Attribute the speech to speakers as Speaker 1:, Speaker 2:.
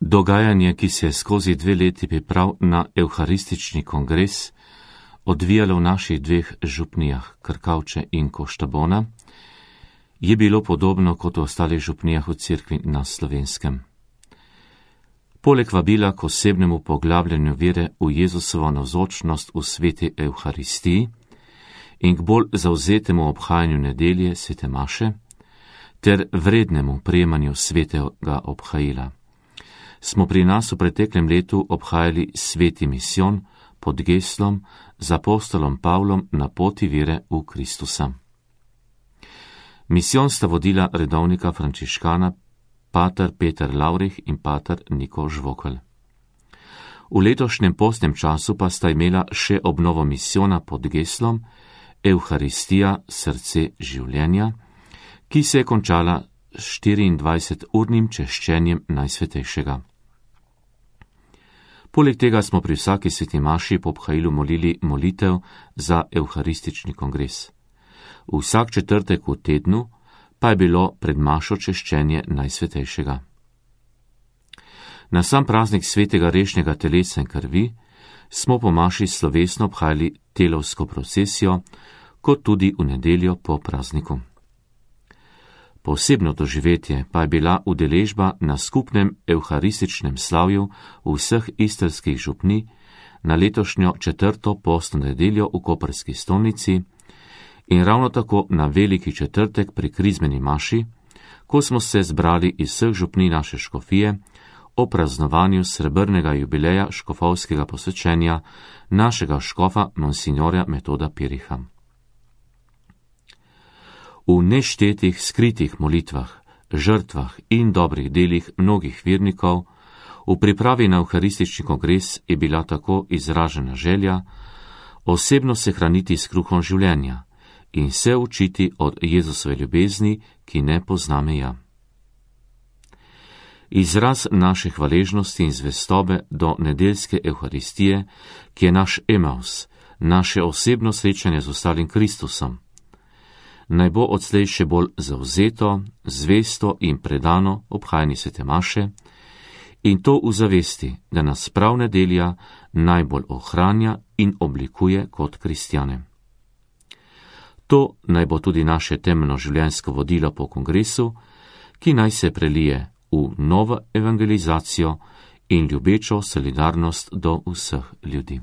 Speaker 1: Dogajanje, ki se je skozi 2 leti priprav na evharistični kongres odvijalo v naših 2 župnijah, Krkavče in Koštabona, je bilo podobno kot v ostalih župnijah v cerkvi na Slovenskem. Poleg vabila k osebnemu poglabljanju vere v Jezusovo navzočnost v sveti evharistiji in k bolj zavzetemu obhajanju nedelje svete maše ter vrednemu prejemanju svetega obhajila, smo pri nas v preteklem letu obhajali sveti misijon pod geslom z apostolom Pavlom na poti vere v Kristusa. Misijon sta vodila redovnika frančiškana pater Peter Lavrih in pater Niko Žvokelj. V letošnjem postnem času pa sta imela še obnovo misijona pod geslom Evharistija, srce življenja, ki se je končala s 24-urnim češčenjem Najsvetejšega. Poleg tega smo pri vsaki sveti maši po obhajilu molili molitev za evharistični kongres. Vsak četrtek v tednu pa je bilo pred mašo češčenje Najsvetejšega. Na sam praznik svetega rešnjega telesa in krvi smo po maši slovesno obhajali telovsko procesijo, kot tudi v nedeljo po prazniku. Posebno doživetje pa je bila udeležba na skupnem evharističnem slavju vseh istrskih župnij na letošnjo 4. postno nedeljo v koprski stolnici in ravno tako na veliki četrtek pri krizmeni maši, ko smo se zbrali iz vseh župnij naše škofije o praznovanju srebrnega jubileja škofovskega posvečenja našega škofa monsignorja Metoda Piriha. V neštetih skritih molitvah, žrtvah in dobrih delih mnogih vernikov v pripravi na evharistični kongres je bila tako izražena želja osebno se hraniti s kruhom življenja in se učiti od Jezusove ljubezni, ki ne pozna meja. Izraz naše hvaležnosti in zvestobe do nedeljske evharistije, ki je naš Emaus, naše osebno srečanje z ostalim Kristusom, naj bo odslej še bolj zavzeto, zvesto in predano obhajanje svete maše in to v zavesti, da nas prav nedelja najbolj ohranja in oblikuje kot kristjane. To naj bo tudi naše temeljno življenjsko vodilo po kongresu, ki naj se prelije v novo evangelizacijo in ljubečo solidarnost do vseh ljudi.